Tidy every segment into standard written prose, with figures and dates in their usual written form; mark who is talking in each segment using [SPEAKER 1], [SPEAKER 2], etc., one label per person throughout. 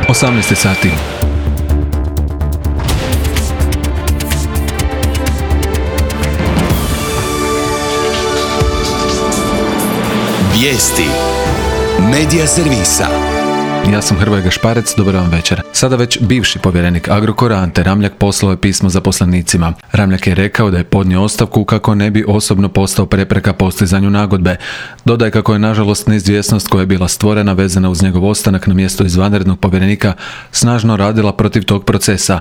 [SPEAKER 1] 18 sati.
[SPEAKER 2] Vijesti Medija servisa.
[SPEAKER 1] Ja sam Hrvoje Gašparec, dobar vam večer. Sada već bivši povjerenik Agrokora Ante Ramljak poslao je pismo zaposlenicima. Ramljak je rekao da je podnio ostavku kako ne bi osobno postao prepreka postizanju nagodbe. Dodaje kako je nažalost neizvjesnost koja je bila stvorena vezana uz njegov ostanak na mjesto izvanrednog povjerenika snažno radila protiv tog procesa.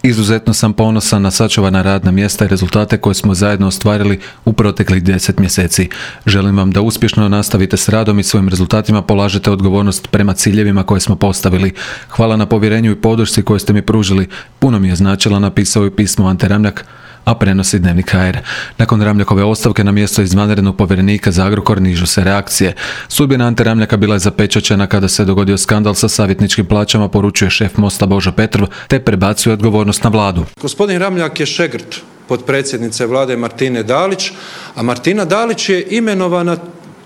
[SPEAKER 1] Izuzetno sam ponosan na sačuvana radna mjesta i rezultate koje smo zajedno ostvarili u proteklih 10 mjeseci. Želim vam da uspješno nastavite s radom i svojim rezultatima polažete odgovornost prema ciljevima koje smo postavili. Hvala na povjerenju i podršci koju ste mi pružili. Puno mi je značila, napisao je pismo Ante Ramljak, a prenosi Dnevnik HR. Nakon Ramljakove ostavke na mjesto izvanrednog povjerenika za Agrokor nižu se reakcije. Sudbina Ante Ramljaka bila je zapečaćena kada se dogodio skandal sa savjetničkim plaćama, poručuje šef Mosta Božo Petrov, te prebacuje odgovornost na vladu.
[SPEAKER 3] Gospodin Ramljak je šegrt potpredsjednice vlade Martine Dalić, a Martina Dalić je imenovana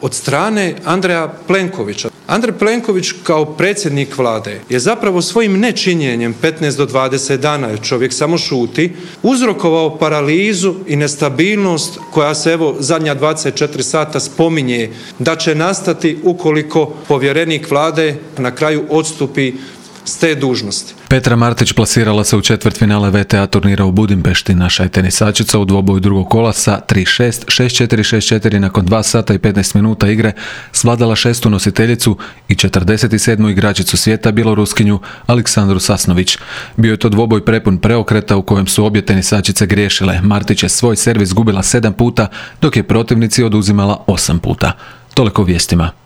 [SPEAKER 3] od strane Andreja Plenkovića. Andrej Plenković kao predsjednik vlade je zapravo svojim nečinjenjem 15 do 20 dana, jer čovjek samo šuti, uzrokovao paralizu i nestabilnost koja se evo zadnja 24 sata spominje da će nastati ukoliko povjerenik vlade na kraju odstupi s te dužnosti.
[SPEAKER 1] Petra Martić plasirala se u četvrtfinale VTA turnira u Budimpešti. Naša je tenisačica u dvoboju drugog kola sa 3-6, 6-4, 6-4 nakon 2 sata i 15 minuta igre svladala 6. nositeljicu i 47. igračicu svijeta, Bjeloruskinju Aleksandru Sasnović. Bio je to dvoboj prepun preokreta u kojem su obje tenisačice griješile. Martić je svoj servis gubila 7 puta, dok je protivnici oduzimala 8 puta. Toliko u vijestima.